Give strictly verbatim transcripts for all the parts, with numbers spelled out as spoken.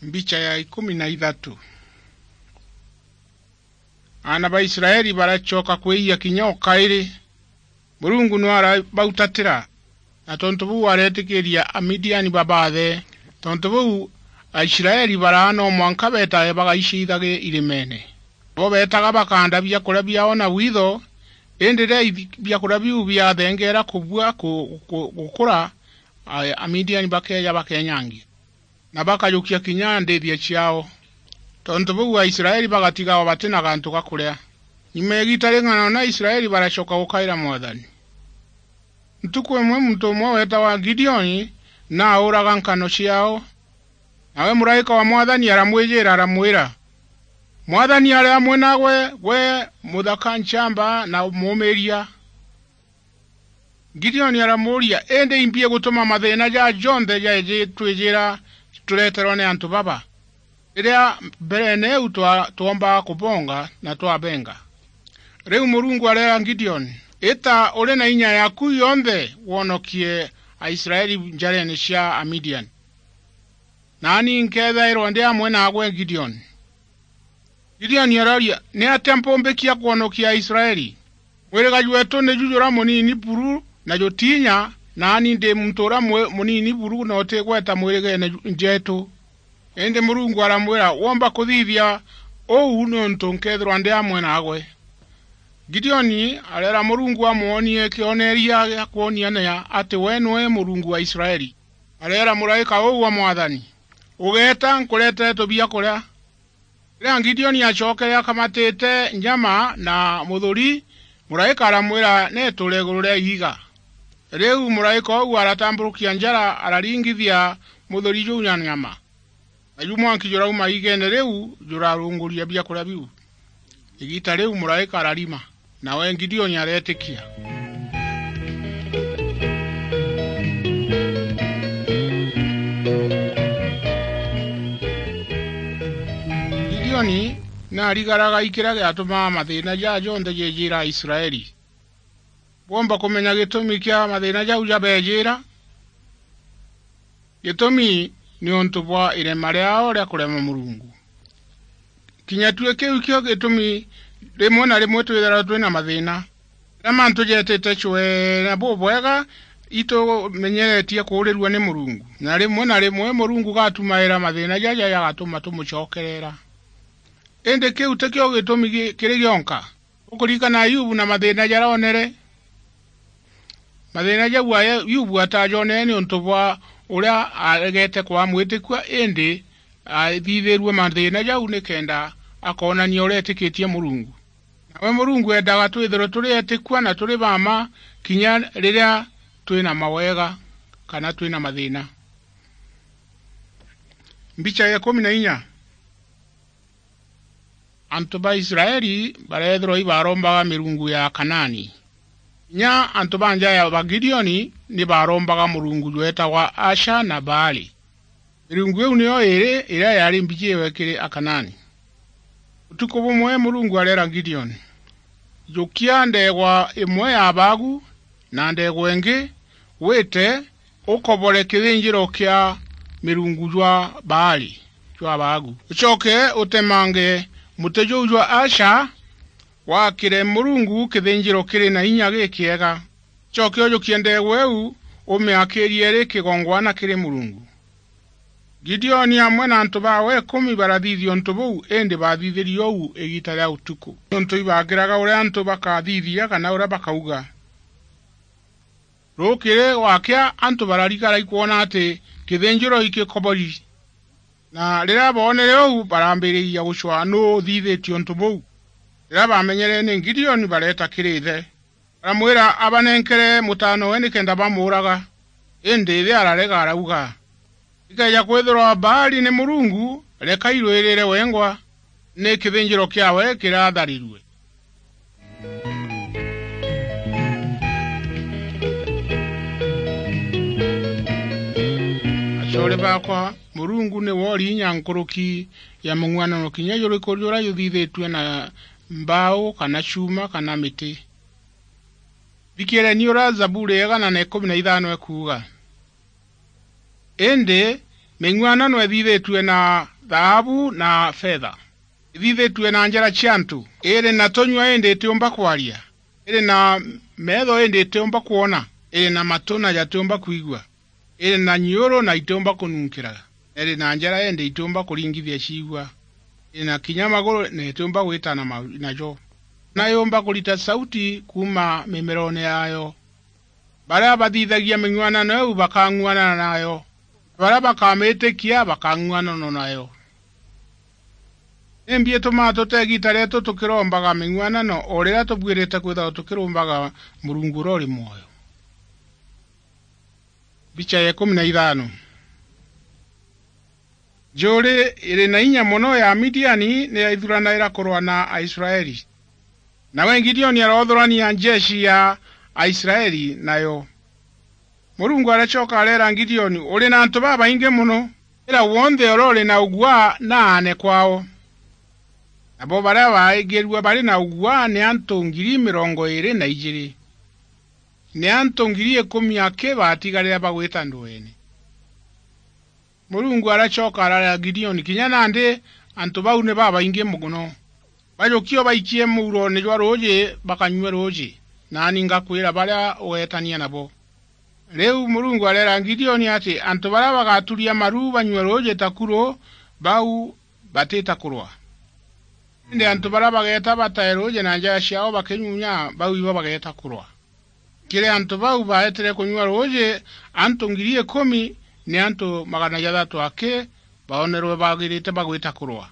Mbicha ya ikumi na ithatu. Aana ba Israeli baracoka kwiyia kinya o kairi. Murungu no arabautatira, na tontu buu aretikiria Amidiani babaathe. Tontu buu, Aisraeli baraa no mwanka beetae bagaiciithage irimene. Bo beetaga bakaanda biakuria biaao na witho, indi riria ithi-, biakuria biu biathengeera kubua ku-, ku-, gukura, a-, Amidiani bakeeja bakenyangia, na bakajukia kinya ndiithia ciaao. Tontu buu Aisraeli bagatigawa bati na gantu ga kuria. Nyuma ya igiita ring'ana una, Aisraeli baracoka gukaira Mwathani. Ntuku imwe muntu umwe weetawa Gideoni na auraga nkano ciaao. Nawe muraika wa Mwathani aramwijira, aramwira, "Mwathani ari amwe naagwe, gwe muthaka nchamba na muumiiria." Gideoni aramuuria, "Indi imbi igutuma mathiina jaa jonthe jaiji twijira tureterwa ni antu baba, riria mbereene eu twa-, twoombaga kubonga na twabenga?" Riu Murungu areera Gideoni, "Ita uri na inya yaaku yonthe wonokie Aisraeli njareene cia Amidiani. Naani nkeethairwa ndi amwe naagwe, Gideoni." Gideoni arooria, "Ni atia mpumbikia kwonokia Aisraeli? Mwiriga jweetu niju juria munini buru na jutiinya, naani ndi muntu uria mwe-, munini buru na utigweta mwirigeene ju-, jeetu. Indi Murungu aramwira, 'Woomba kuthithia uu niuntu nkeethirwa ndi amwe naagwe.'" Gideoni areera Murungu amwonie kioneeria gia kwoniania ati we niwe Murungu wa Israeli. Areera muraika uu wa Mwathani, "Ugeeta, nkuretere tubiakuria." Riria Gideoni acookere akamatite nyama na muthuri, muraika aramwira, "Neeture iguru ria iiga." Riu muraika uu aratamburukia njara, araringithia muthuri juu na nyama. Naju mwanki jurauma iigeene riu, jurarunguria biakuria biu. Igiita riu muraika ararima, nawe Gideoni areetikia. Gideoni naarigaraga i kiria giatumaa mathiina jaa jonthe jeejira Aisraeli. Bwomba kumenya gitumi kia mathiina jau jabeejira? Gitumi ni untu bwa irema riaao ria kurema Murungu. Kinya tui kiu kio gitumi rimwe na rimwe twithagirwa twi na mathiina. Riria mantu jeetite cwee na bubwega, itumenyeretie kuurirua ni Murungu, na rimwe na rimwe Murungu gatumaira mathiina jaja jagatuma tumucokerera. Indi kiu tikio gitumi gi-, kiri gionka. Ukuririkana Ayubu na mathiina jaria oonere? Mathiina jau Ayubu atajonere niuntu bwa uria aregete kwaa mwitikua, indi athithirue mathiina jau nikenda akoonania uria etikitie Murungu. Nawe Murungu eendaga twithirwe turi etikua na turi ba mma kinya riria twi na mawega kana twi na mathiina. Mbicha ya ikumi na inya. Antu ba Israeli bareethirwa ibarombaga mirungu ya Akanaani. Kinya antu ba nja ya ba Gideoni ni baarombaga murungu jweetagwa Asha na Baali. Mirungu iu niyo iiri iria yaari mbiji iwe kiri Akanaani. Utuku bumwe Murungu areera Gideoni, "Jukia ndeegwa imwe ya baagu na ndeegwa ingi, wite ukobore kithinjiro kia mirungu jwa Baali jwa baagu. Ucoke utemange muti juu jwa Asha, waakire Murungu kithinjiro kiri na inya gikiega. Ucoke ujukie ndeegwa iu, umiakirie iri kigongwana kiri Murungu." Gideoni amwe na antu baawe ikumi barathithia untu buu, indi baathithirie uu igiita ria utuku, niuntu ibaagiraga uria antu bakathithia kana uria bakauga. Rukiri gwakia, antu bararigara ikwona ati kithinjiro ikikobori, na riria boonere uu, barambiriria gucwaa nuu uthithitie untu buu. Riria baamenyere ni Gideoni, bareeta kiri ithe, baramwira abanenkere mutaanowe nikenda bamuuraga. Indi ithe ararega, arauga, "Ikeeja kwithirwa Baali ni murungu, reka irwirire wengwa, ni kithinjiro kiawe kiratharirue." Acoore baakwa, Murungu niwe uri inya nkuruki ya mung'uanano kinya juriku juria juthithitue na mbaau kana cuuma kana miti. Thikiireni uria Zaburi ya igana na ikumi na ithano ikuuga. Indi Ming'uanano ithithitue na thaabu na fetha. Ithithitue na njara cia antu. Iri na tunyua indi itiumba kwaria. Iri na meetho indi itiumba kwona. Iri na matu na jatiumba kwigua. Iri na nyiuru na itiumba kununkira. Na iri na njara indi itiumba kuringithia ciigua. Iri na kinya maguru na itiumba gwitana ma-, najo. Na yumba kurita sauti kuuma mimeroone yaayo. Baria bathithagia ming'uanano iu bakang'uanana nayo, na baria bakamiitikia bakang'uanana nayo. Nimbi itumaa tuta igiita rietu tukirombaga ming'uanano o riria tubuirite kwithirwa tukirombaga Murungu uria uri mwoyo? Mbicha ya ikumi na ithano. Njuri iri na inya mono ya Amidiani ni yaithuranaira kurwa na Aisraeli. Nawe Gideoni aroothurania njeshi ya Aisraeli nayo. Murungu aracoka areera Gideoni, "Uri na antu babaingi mono. Ira wonthe uria uri na uguaa na aane kwao." Nabo baria baaigirue bari na uguaa ni antu ngiri mirongo iiri na ijiiri. Ni antu ngiri ikumi aki baatigarire bagwita ndweene. Murungu aracoka araria Gideoni, "Kinya nandi antu bau ni babaingi mono. Bajukie ubaikie muuroone jwa ruuji bakanyue ruuji, naani ngakwira baria ugeetania nabo." Riu Murungu areera Gideoni ati antu baria bagaturia maru banyue ruuji takuru, bau batita kurwa. Indi antu baria bageeta batae ruuji na njara ciao bakinyunya, bau ibo bageeta kurwa. Kiri antu bau baetire kunyua ruuji, antu ngiri ikumi ni antu magana jathatu aki baonerwe bagirite bagwita kurwa.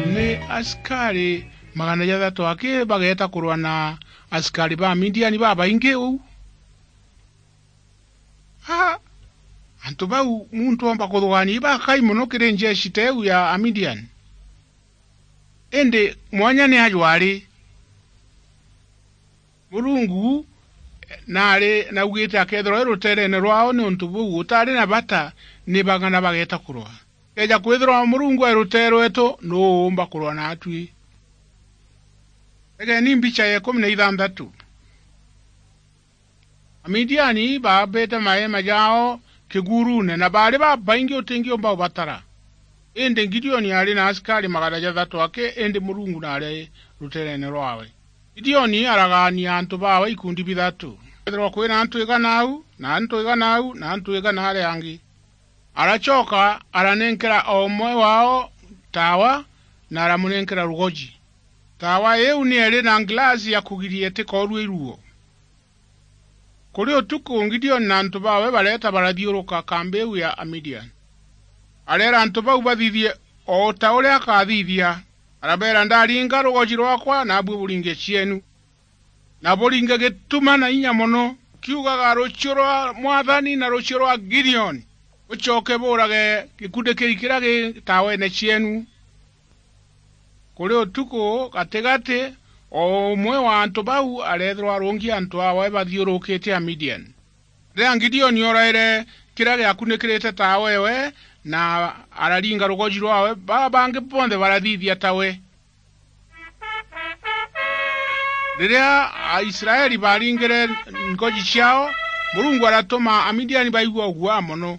Ni asikari magana jathatu aki bageeta kurwa na asikari ba Midiani babaingi uu. Ha! Antu bau muntu omba kuthugania ibakai mono kiri njeshi teu ya Amidian. Indi mwanya ni ajwari. Murungu nari naugite akethirwa e rutereene rwao, niuntu buu utari na bata ni bang'ana bageeta kurwa. Keja kwithirwa Murungu e rutere rwetu, nuu uumba kurwa naatui? Tegeni mbicha ya ikumi na ithanthatu. Amidiani baambite maeema jaao kiguruune, na baari babaingi utingiumba ubatara. Indi Gideoni aari na asikari magana jathatu aki, indi Murungu naari rutereene rwawe. Gideoni aragaania antu baawe ikundi bithatu. Kwethirwa kwina antu igana au, na antu igana au, na antu igana aria angi. Aracoka aranenkera o umwe wao taawa, na aramunenkera rugoji. Taawa iu ni iri na ngilasi ya kugiria itikoorue iruo. Kuri utuku, Gideoni na antu baawe bareeta barathiuruka kambi iu ya Amidian. Areera antu bau bathithie o ta uria akathithia. Arabeera, "Ndaringa rugoji rwakwa, naabui buringe cieenu." Na buringe gituma na inya mono, ukiugaga, "Rucio rwa Mwathani na rucio rwa Gideoni, bucoke buurage gikundi kiu kiria gi taaweene cieenu." Kuri utuku gatigati, o umwe wa antu bau areethirwa arungi antu aawe bathiurukite Amidian. Riria Gideoni ooraire kiria giakunikirite taawewe, na araringa rugoji rwawe, baa bangi bonthe barathithia tawe. Riria Aisraeli baaringire ngoji ciao, Murungu aratuma Amidiani baigua uguaa mono.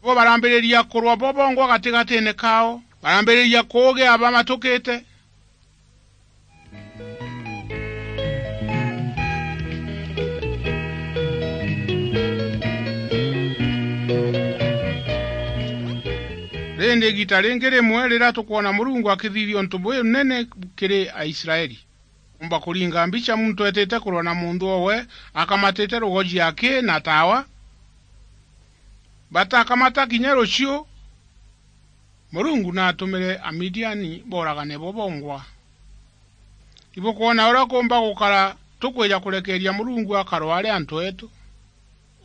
Bo barambiriria kurwa bo bongwa gatigatiine kao, barambiriria kuugia bamatukite. Rindi igiita ringi rimwe riria tukwona Murungu akithithia untu bunene kiri Aisraeli, umba kuringa mbicha muntu etite kurwa na muntu owe akamatite rugoji aki na taawa. Batakamata kinya ruciu, Murungu naatumire Amidiani booragane bo bongwa. Ibukwona uria kuumba gukara tukwija kurekeeria Murungu akarwa ari antu eetu?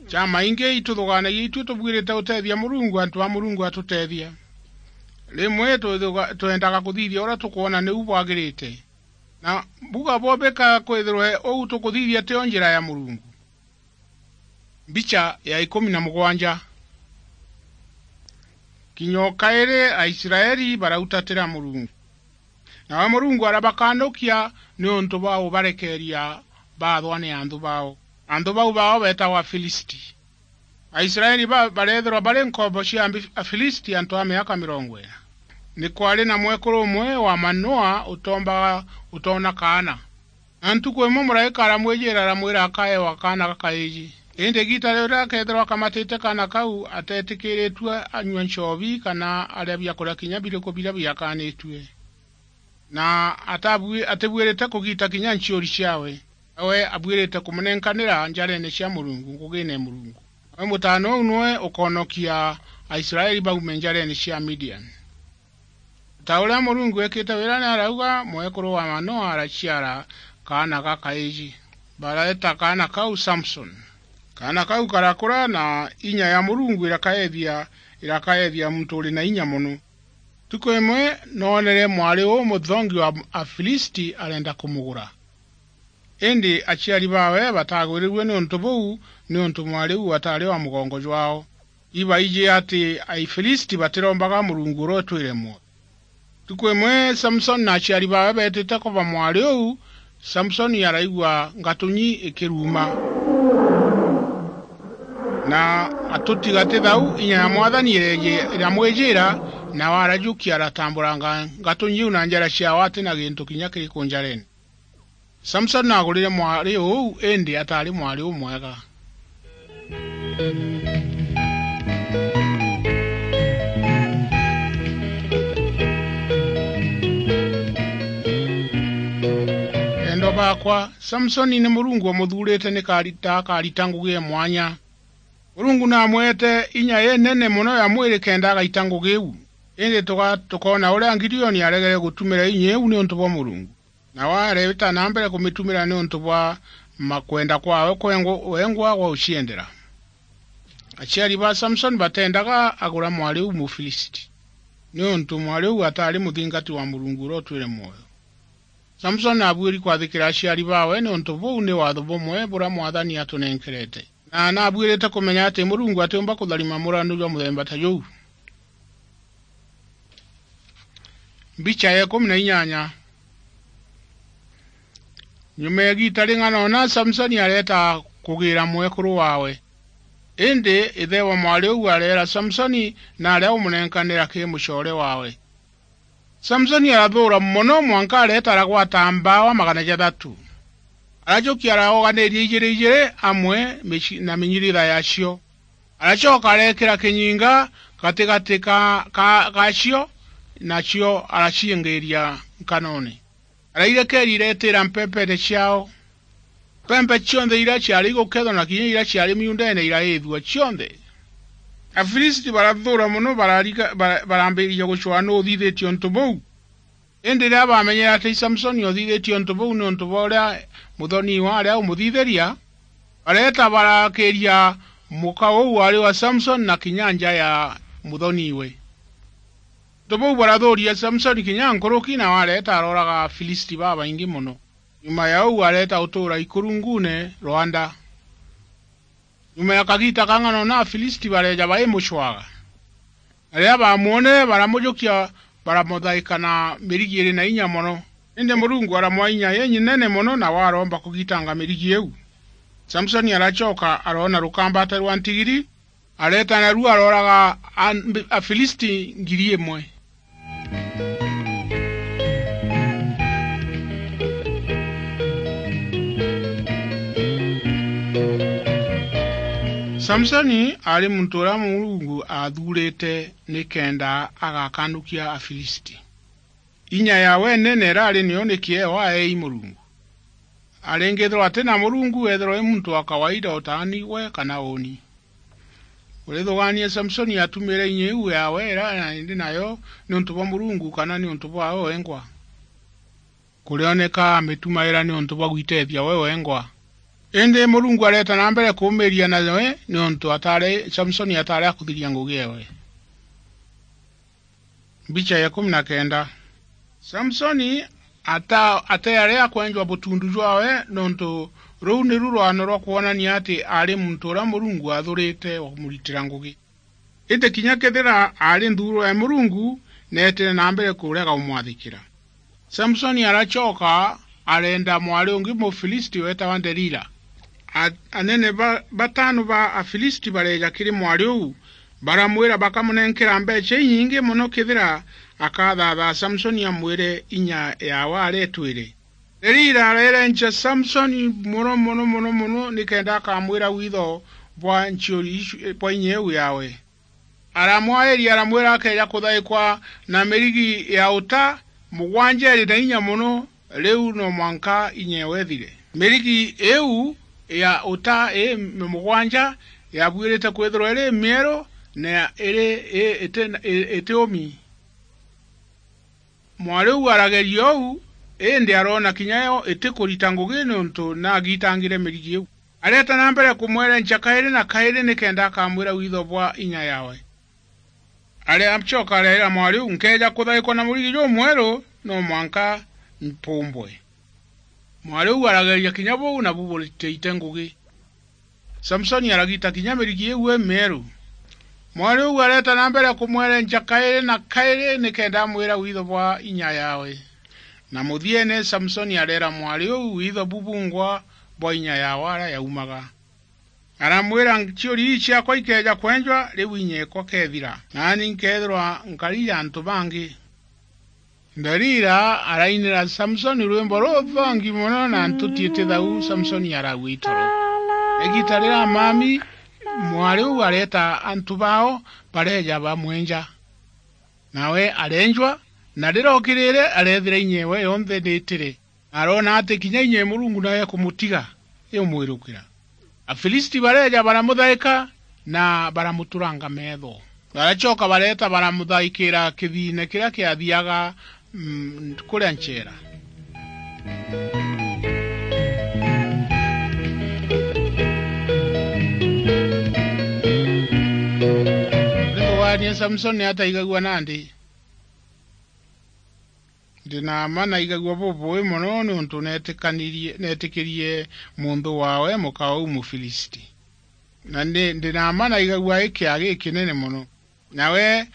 Jamaingi ituthugaanagia itui tubuirite guteethia Murungu, antu a Murungu atuteethia. Rimwe twithuga-, twendaga kuthithia uria tukwona niu bwagirite. Na mbuga bo bika kwithirwe uu tukuthithia tio njira ya Murungu. Mbicha ya ikumi na mugwanja. Kinya o kairi Aisraeli barautatira Murungu. Nawe Murungu arabakanukia niuntu bwa ubarekeeria baathwa ni anthu bao. Anthu bau bao beetagwa Afilisti. Aisraeli ba-, bareethirwa bari nkombo cia Ambi-, Afilisti antu a miaka mirongo ina. Ni kwaari na mwekuru umwe wa Manoa utoombaga, utoona kaana. Na ntuku imwe muraika aramwijiira, aramwira akaewa kaana gakaiji. Indi igiita riria akeethirwa akamatite kaana kau, ateetikiritue anyua nchobi kana aria biakuria kinya biriku biria biakanitue. Na atabui-, atibuirite kugiita kinya nchiuri ciawe. Nawe abuirite kumunenkanira njareene cia Murungu, ngugiine ya Murungu. Nawe mutaana uu niwe ukoonokia Aisraeli baume njareene cia Midian. Ta uria Murungu eekite wira ni arauga, mwekuru wa Manoa araciara kaana gakaiji. Bareeta kaana kau Samson. Kaana kau karakura, na inya ya Murungu irakaethia, irakaethia muntu uri na inya mono. Ntuku imwe noonere mwari uu muthongi wa Afilisti arenda kumugura. Indi aciari baawe batagwirirue niuntu buu, niuntu mwari uu ataari wa mugongo jwao. Ibaiji ati Aifilisti batirombaga Murungu uria utwire mwoyo. Ntuku imwe Samsoni na aciari baawe beetite kuba mwari uu, Samsoni araigua ngatunyi ikiruuma. Na atuti gati thau, inya ya Mwathani ireeji-, iramwijiira, nawe arajukia, aratamburanga ngatunyi iu na njara ciawe ati na gintu kinya kiriku njareene. Samsoni naagurire mwari uu, indi ataari mwari umwega. Endwa baakwa, Samsoni ni Murungu wamuthuurite ni karita, akarita ngugi ya mwanya. Murungu naamwete inya inene mono ya mwiri kenda agaita ngugi iu. Indi tuga-, tukoona uria Gideoni aregere gutumira inya iu niuntu bwa Murungu. Nawe areeta na mbere kumitumira niuntu bwa makwenda kwawe kwengwa-, wengwa gwa guciendera. Aciari ba Samsoni bateendaga agura mwari uu Mufilisti, niuntu mwari uu ataari muthingati wa Murungu uria utwire mwoyo. Samsoni aabuiri kwathikira aciari baawe, niuntu buu ni waatho bumwe buria Mwathani atunenkerete. Na naabuirite kumenya ati Murungu atiumba kutharima muranu jwa muthemba ta juu. Mbicha ya ikumi na inyanya. Nyuma ya igiita ring'ana una, Samsoni areeta kugiira mwekuru waawe. Indi ithe wa mwari uu areera Samsoni naria umunenkanira kiri mucoore waawe. Samsoni arathuura mono mwanka areeta aragwata mbaawa magana jathatu. Arajukia araoganiria ijiri ijiri amwe mici-, na minyiritha yacio. Aracoka areekira kinyinga gatigati ka, ka, gacio, nacio araciingiiria nkanoone. Arairekeeria ireetira mpempeene ciao. Mpempe cionthe iria ciaari igukethwa na kinya iria ciaari miundeene iraithua cionthe. Afilisti barathuura mono, barariga-, bara-, barambiria gucwaa nuu uthithitie untu buu. Indi riria baamenyere ati Samsoni uthithitie untu buu niuntu bwa uria muthoniwe aria umuthithiria, bareeta barakiria muka uu waari wa Samsoni na kinya nja ya muthoniwe. Untu buu barathuuria Samsoni kinya nkuruki, nawe areeta arooraga Afilisti babaingi mono. Nyuma ya uu areeta utuura ikurunguune rwanda. Nyuma ya kagiita kang'ana una, Afilisti bareeja baimucwaga. Na riria baamwonere, baramujukia, baramuthaika na mirigi iri na inya mono. Indi Murungu aramwaa inya inyinene mono, nawe aroomba kugitanga mirigi iu. Samsoni aracoka aroona rukambate rwa ntigiri, areeta naruo arooraga a-, Afilisti ngiri imwe. Samsoni aari muntu uria Murungu aathuurite nikenda agakanukia Afilisti. Inya yawe nene iraari niyo ni kieo aeei Murungu. Aringithirwa ati na Murungu, ethirwa i muntu wa kawaida utaani gwe kana uuni. Urithugaania Samsoni atumire inya iu yawe ira indi nayo niuntu bwa Murungu kana niuntu bwawe wengwa? Kurioneka amitumaira niuntu bwa gwitethia we wengwa. Indi Murungu areeta na mbere kuumiria nawe niuntu ataari, Samsoni ataari akuthiria ngugi ewe. Mbicha ya ikumi na kenda. Samsoni ata-, ateari akwenjwa butundu jwawe, nontu ruu niru rwano rwa kwonania ati aari muntu uria Murungu aathurite wa kumuritira ngugi. Indi kinya kethira aari nthuuro ya Murungu, neetire na mbere kurega umwathikira. Samsoni aracoka arenda mwari ungi Mufilisti weetawa Delila. A-, anene ba-, batano ba Afilisti bareeja kiri mwari uu, baramwira bakamunenkera mbeecha inyingi mono kethira akathaathaa Samsoni amwire inya yaawe aretwire. Delila areerenca Samsoni mono, mono, mono, mono, nikenda akamwira witho bwa nchiuri icu, bwa inya iu yaawe. Aramwairia, aramwira akeeja kuthaikwa na mirigi ya uta mugwanja iri na inya mono, riu no mwanka inya ewe ithire. Mirigi iu ya uta ii mugwanja yabuirite kwithirwa iri mieru na iri i-, iti, i-, iti umi. Mwari uu arageria uu, indi aroona kinya yo itikurita ngugi niuntu naagitangire mirigi iu. Areeta na mbere kumwerenca kairi na kairi nikenda akamwira witho bwa inya yaawe. Aracoka areera mwari uu, "Nkeeja kuthaikwa na murigi jumweru, no mwanka mpumbwe." Mwari uu arageria kinya buu, nabu buritaite ngugi. Samsoni aragita kinya mirigi iu imieru. Mwari uu areeta na mbere kumwerenca kairi na kairi nikenda amwira witho bwa inya yaawe. Na muthiene, Samsoni areera mwari uu witho bubungwa bwa inya yaawe aria yaumaga. Aramwira, "Nchiuri ii ciakwa ikeeja kwenjwa, riu inya ekwa keethira, naani nkeethirwa nkari ya antu bangi." Delila arainira Samsoni rwimbo ruthongi mono, na ntuti itithau, Samsoni araua itoro. Igiita riria mami mwari uu areeta antu bao, bareeja bamwenja. Nawe areenjwa, na riria ookirire, areethira inya ewe yonthe niitire. Aroona ati kinya inya e Murungu nayo ekumutiga, iumwirukira. Afilisti bareeja baramuthaika na baramuturanga meetho. Baracoka bareeta baramuthaikira kithiine kiria kiathiaga, mm, kuria ncheera. Rituganie Samsoni ataigagua nandi. Ndi na mma naigagua bubui mono niuntu neetikanirie-, neetikirie munthu waawe muka uu Mufilisti. Na ndi, ndi na mma naigagua ikia gikinene mono. Nawe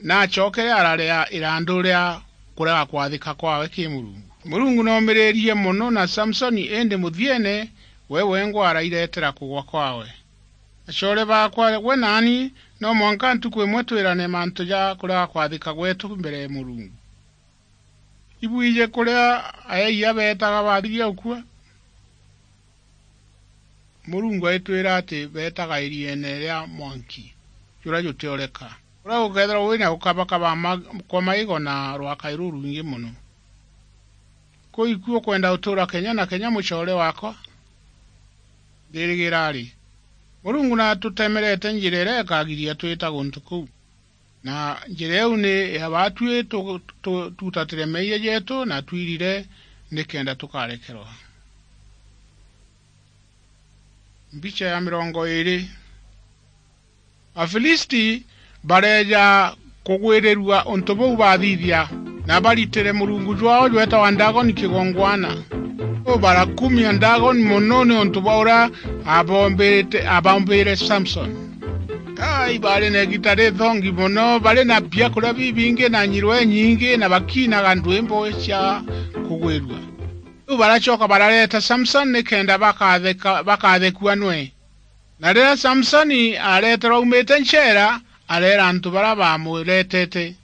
naacokere araria irandu ria kurega kwathika kwawe ki Murungu. Murungu noomiririe mono na Samsoni, indi muthiene we wengwa arairetera kugwa kwawe. Acoore baakwa, gwe naani no mwanka ntuku imwe twirane mantu ja kurega kwathika gweetu mbere ya Murungu. Ibwiji kuria aeeyia beetaga baathiria gukua? Murungu aitwira ati beetaga irieene ria mwanki juria jutioreka, kuria gukeethirwa wina gukabakaba ma-, kwa maigo na rwakai rurwingi mono. Kuu iku ukwenda gutuura kenya na kenya, mucoore waakwa? Ndirigira ari, Murungu natutemerete njira iria ikagiria twita guntu kuu. Na njira iu ni ya baatui tu-, tu-, tutatire meeyia jeetu na twirire nikenda tukarekerwa. Mbicha ya mirongo iiri. Afilisti bareeja kugwirirua untu buu baathithia, na baritire murungu jwaao jweetawa Dagoni kigongwana. Uu barakumia Dagoni mono niuntu bwa uria abombirite-, abombire Samsoni. Kai, baari na igiita rithongi mono, bari na biakuria bibingi na nyirwa inyingi, na bakiinaga ndwimbo cia kugwirua. Riu baracoka barareeta Samsoni nikenda bakatheka-, bakathekua nwe. Na riria Samsoni areeterwa aumite ncheera, areera antu baria baamureetete,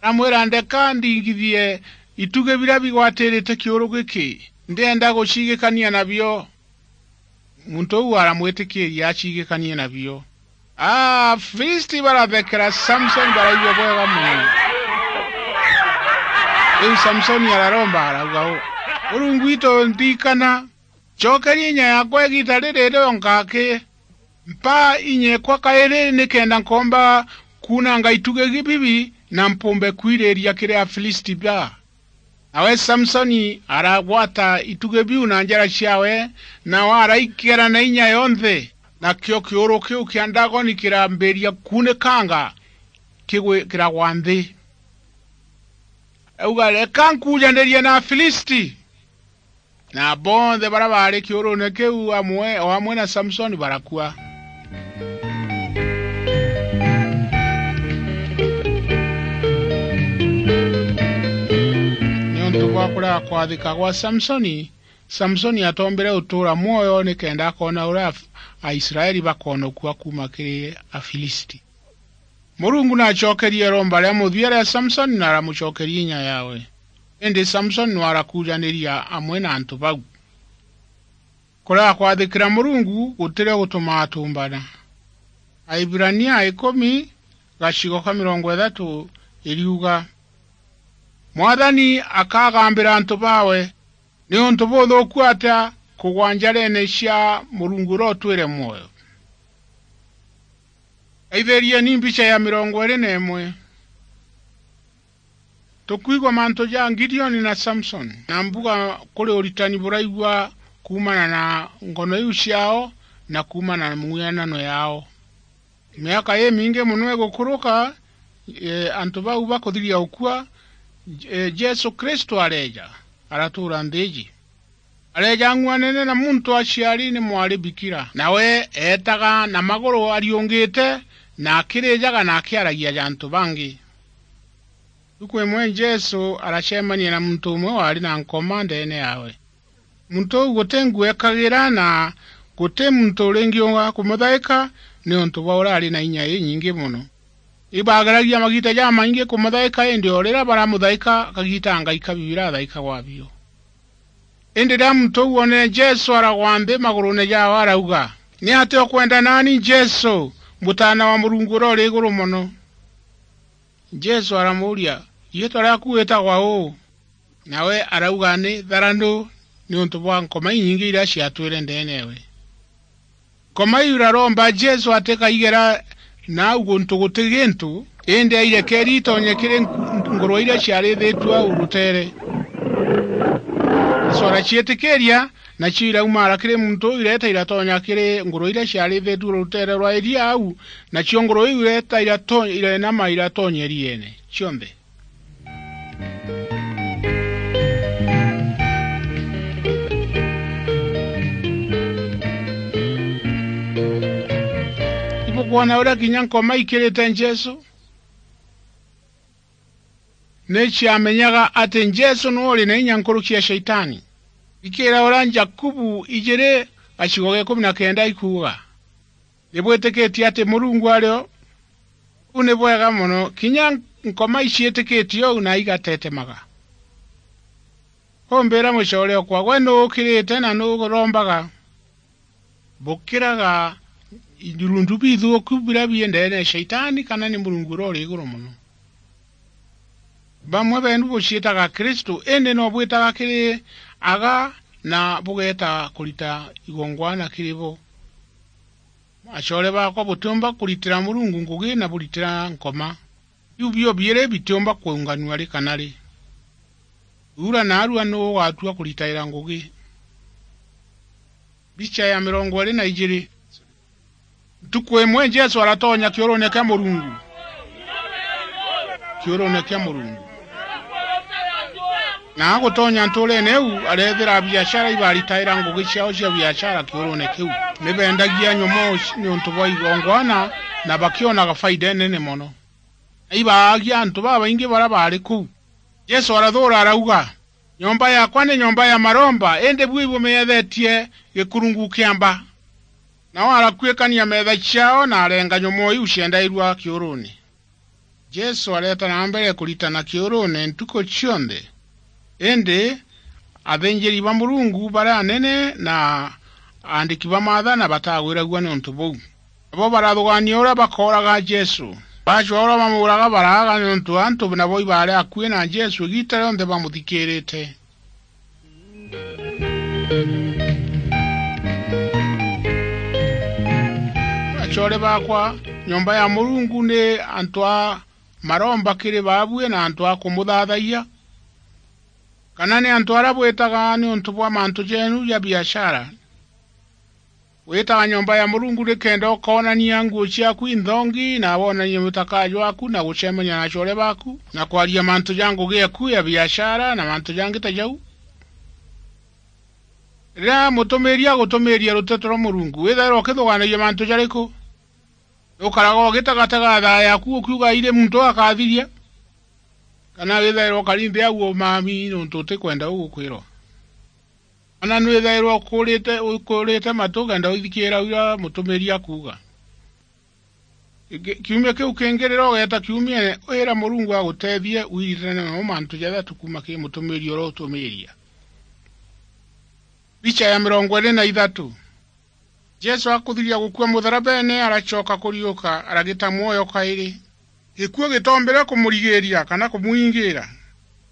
aramwira, "Ndeka ndingithie itugi biria bigwatirite kiuru giki, ndienda guciigikania nabio." Muntu uu aramwitikiiria aciigikanie nabio. Afilisti barathekera Samsoni, baraigua bwega mono. Riu Samsoni araromba, arauga uu, "Murungu witu, ndirikana, cokeria inya yaakwa igiita riri rionka aki. Mpa inya ekwa kairi, nikenda nkoomba kuunanga itugi bibi na mpumbe kwiriiria kiri Afilisti baa." Nawe Samsoni aragwata itugi biu na njara ciawe, nao araikera na inya yonthe, nakio kiuru kiu kia Dagoni kirambiria kuunikanga kigwi-, kiragwa nthi. Auga, "Reka nkuujanirie na Afilisti." Na bonthe baria baari kiuruune kiu amwe, o amwe na Samsoni barakua. Niuntu bwa Kurega kwathika gwa Samsoni, Samsoni atoombire utuura mwoyo nikenda akoona uria Af-, Aisraeli bakoonokua kuuma kiri Afilisti. Murungu naacokerie iromba ria muthia ria Samsoni na aramucokeria inya yaawe. Indi Samsoni no arakuujaniria amwe na antu bau. Kurega kwathikira Murungu gutirio gutumaa atumbana. Aibirania ikumi, gacigo ka mirongo ithatu, iriuga, Mwathani akagambira antu baawe, niuntu buthuuku atia kugwa njareene cia Murungu uria utwire mwoyo? Aithirieni mbicha ya mirongo iiri na imwe. Tukwigua mantu ja Gideoni na Samsoni, na mbuga kuri uritani buraigua kuumana na ngono iu ciaao na kuumana na mung'uanano yaao. Miaka imingi mono igukuruka, e, antu bau bakuthiria gukua, e, Jesu Kristo areeja, aratuura nthi iji. Areeja ang'uanene na muntu aciari ni mwari bikira, nawe eetaga na maguru ariungite, na akirijaga na akiaragia ja antu bangi. Ntuku imwe Jesu aracemania na muntu umwe waari na nkoma ndeene yaawe. Muntu uu guti nguo eekagira, na guti muntu uringiunga kumuthaika, niuntu bwa uria ari na inya inyingi mono. Ibaageragia magiita jamaingi kumuthaika, indi o riria baramuthaika, kagiita angaika biu birathaikagwa bio. Indi riria muntu uu oonere Jesu, aragwa nthi maguruune jaawe, arauga, "Niatia ukwenda naani, Jesu, Mutaana wa Murungu uria uri iguru mono?" Jesu aramuuria, "Riitwa riaaku witagwa uu?" Nawe arauga, "Ni Tharanu, niuntu bwa nkoma inyingi iria ciatwire ndeene yaawe." Nkoma iu iraromba Jesu atikaigera nau guntu guti gintu, indi airekeeri itonye kiri nku-, ngurwe iria ciarithitue au ruteere. Jesu araciitikiiria, nacio iraumaara kiri muntu uu, ireeta iratonya kiri ngurwe iria ciarithitue ruteere rwa iria au, nacio ngurwe iu ireeta irato-, irenama iratonya irieene cionthe. Ibukwona uria kinya nkoma ikirite Jesu? Ni ciamenyaga ati Jesu niwe uri na inya nkuruki ya Shaitani. Ikira uria Jakubu ijiri gacigo ga ikumi na kenda ikuuga. Ni bwitikitie ati Murungu ari o? Uu ni bwega mono. Kinya nkoma iciitikitie uu na igatetemaga. Umbiira mucoore okwa, gwe nuu ukirite na nuu urombaga? Bukiraga irundu bithuuku biria bii ndeene ya Shaitani, kana ni Murungu uria uri iguru mono? Bamwe beenu buciitaga Kristu, indi no bwitaga kiri aga na bugeeta kurita igongwana kiri bo. Acoore baakwa, butiumba kuritira Murungu ngugi na buritira nkoma. Biu bio biiri bitiumba kuunganua ri kana ri. Uura naarua nuu ugatua kuritaira ngugi? Mbicha ya mirongo iiri na ijiri. Ntuku imwe Jesu aratonya kiuruune kia Murungu. Kiuruune kia Murungu. Na agutonya ntuureene iu, areethira abiashara ibaritaira ngugi ciaao cia biashara kiuruune kiu. Ni beendagia nyomoo ci-, niuntu bwa igongwana, na bakionaga faida inene mono. Na ibaagia antu babaingi baria baari kuu. Jesu arathuura arauga, "Nyomba yaakwa ni nyomba ya maromba, indi bui bumiethitie gikurungu kia mba." Nao arakuikania meetha ciaao na arenga nyomoo iu ciendairua kiuruune. Jesu areeta na mbere kuritana kiuruune ntuku cionthe, indi athinjiri ba Murungu baria anene na aandiki ba maathana batagwiragua niuntu buu. Nabo barathugaania uria bakooraga Jesu. Baacua uria bamuuraga baraaga niuntu antu nabo ibaari akui na Jesu igiita rionthe bamuthikiirite. Acoore baakwa, nyomba ya Murungu ni antu a maromba kiri baabui na antu a kumuthathayia? Kana ni antu aria bwitaga niuntu bwa mantu jeenu ja biashara? Witaga nyomba ya Murungu nikenda ukoonania nguo ciaaku inthongi, na woonanie mutaka jwaaku, na gucemania na acoore baaku, na kwaria mantu ja ngugi eku ya biashara, na mantu jangi ta jau? Riria mutumiiri agutumiiria ruteto rwa Murungu, withairwa ukithugaanagia mantu jariku? Nukaraga ugitegatega thaa yaaku ukiuga, "Iri muntu akathiria"? Kana withairwa ukari nthi au umami nontu utikwenda uu gukwirwa? Kana nwithairwa ukurite, ukurite matu ukenda uthikiira uria mutumiri akuuga? Ki-, kiumia kiu kingi riria ugeeta kiumiene, wira Murungu agutethie wiritane namo mantu jathatu kuuma kiri mutumiri uria utumiria. Mbicha ya mirongo iri na ithatu. Jesu akuthiria gukua mutharabene, aracoka kuriuka, aragita mwoyo kairi. Gikuu gitoombire kumurigiiria kana kumwingiira.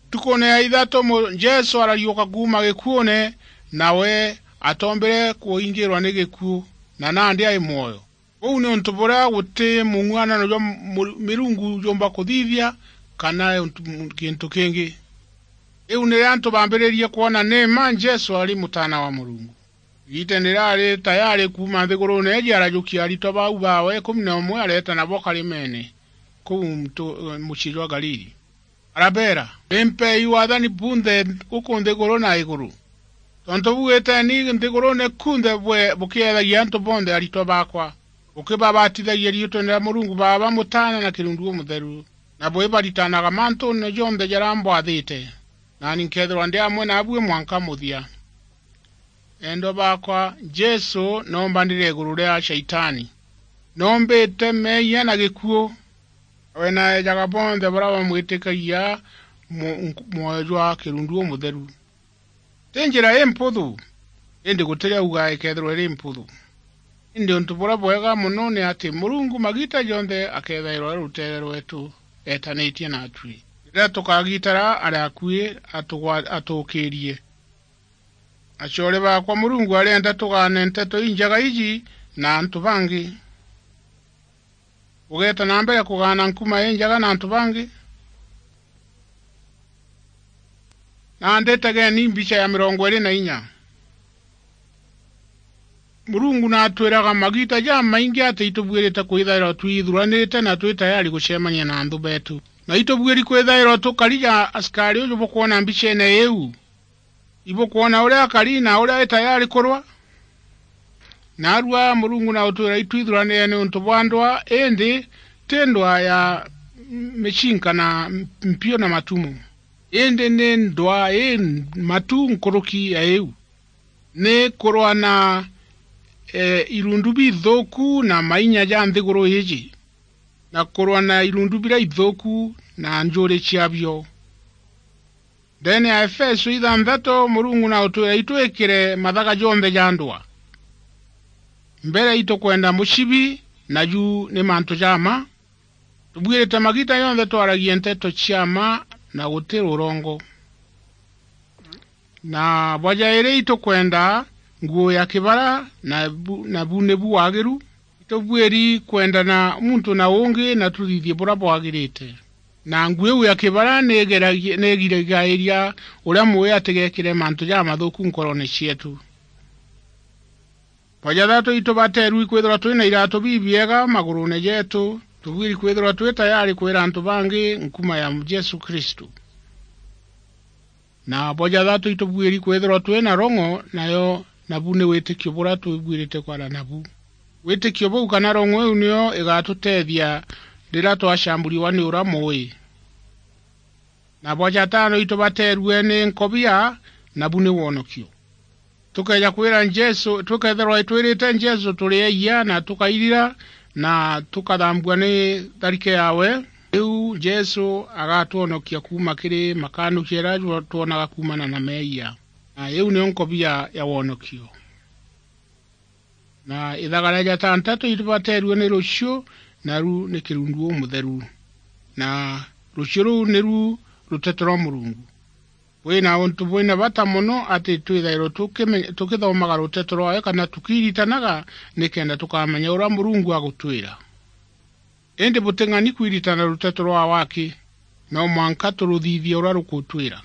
Ntukune ya ithatu mu-, Jesu arariuka kuuma gikuune, nawe atoombire kuingiirwa ni gikuu, na nandi ai mwoyo. Uu ni untu buria guti mung'uanano jwa mu-, mirungu jumba kuthithia, kana untu, kintu kingi. Riu nirio antu baambiririe kwona ni mma Jesu ari Mutaana wa Murungu. Igiitene riria ari tayari kuuma nthiguruune iji, arajukia aritwa bau baawe ikumi na umwe, areeta nabo karimene kuu ntu-, mucii jwa Galili. Arabeera, "Ni mpeei waathani bunthe guku nthiguru na iguru. Tontu buu, iteni nthiguruune kunthe bwe bukiethagia antu bonthe aritwa baakwa, bukibabatithagia riitwene ria Murungu Baaba, Mutaana na Kirundu Umutheru, na bwibaritanaga mantuune jonthe jaria mbwathite. Naani nkeethirwa ndi amwe naabui mwanka muthia." Endwa baakwa, Jesu noombanire iguru ria Shaitani. Noombite meeyia na gikuu. We naejaga bonthe baria bamwitikagia mu-, mwoyo jwa Kirundu Umutheru. Ti njira imputhu, indi guti riria auga ikeethirwa iri mputhu. Indi untu buria bwega mono ni ati Murungu magiita jonthe akeethairwa ari ruteere rweetu, eetanitie naatui. Riria tukagitara ari akui, atugwa-, atuukiirie. Acoore baakwa, Murungu arienda tugaane nteto injega iji na antu bangi. Ugeeta na mbere kugaana nkuma injega na antu bangi? Nandi tegeni mbicha ya mirongo iri na inya. Murungu naatwiraga magiita jamaingi ati itubuirite kwithairwa twithuranite na twi tayari gucemania na anthu beetu. Na itubuiri kwithairwa tukari ja asikari uju bukwona mbicheene iu. Ibukwona uria akari na uria ari tayari kurwa? Naarua Murungu na utwira itwithuranire niuntu bwa ndwaa, indi ti ndwaa ya micinka na mpiu na matumu, indi ni ndwaa ii matu nkuruki ya iu. Ni kurwa na, e, irundu bithuku na mainya ja nthiguru iiji, na kurwa na irundu biria ithuku na njuri ciabio. Ndeene ya Efeso ithanthatu, Murungu na utwira itwikire mathaga jonthe ja ndwaa. Mbere itukwenda mucibi, na ju ni mantu ja mma. Tubuirite magiita jonthe twaragie nteto cia mma na guti rurongo. Na bwa jairi itukwenda nguu ya kibara, na bu-, na bu nibu wagiru. Itubuiri kwendana muntu na ungi na tuthithie buria bwagirite. Na nguu iu ya kibara ni igeragia-, ni igiragairia uria mui atigekire mantu jamathuku nkoroone cieetu. Bwa jathatu, itubateerui kwithirwa twi na iratu bibiega maguruune jeetu. Tubuiri kwithirwa twi tayari kwira antu bangi nkuma ya Jesu Kristu. Na bwa jathatu, itubuiri kwithirwa twi na rong'o, nayo nabu ni witikio buria tubuirite kwara nabu. Witikio buu kana rong'o iu niyo igatuteethia riria twacamburiwa ni uria mui. Na bwa jatano, itubateerue ni nkobia, nabu ni wonokio. Tukeeja kwira Jesu, tukethirwa itwirite Jesu turi eeyia na tukairira na tukathambua ni tharike yawe, riu Jesu agatwonokia kuuma kiri makanukia jaria twonaga kuumana na meeyia. Na iu niyo nkobia ya wonokio. Na ithaga ria jatantatu itubateerue ni ruciu, naru ni Kirundu Umutheru. Na ruciu ruu niru ruteto rwa Murungu. Bwina untu bwina bata mono ati twithairwe tukime-, tukithomaga ruteto rwawe kana tukiiritanaga, nikenda tukamenya uria Murungu agutwira. Indi buting'ani kwiritana ruteto rwa waki, no mwanka turuthithie uria rukutwira.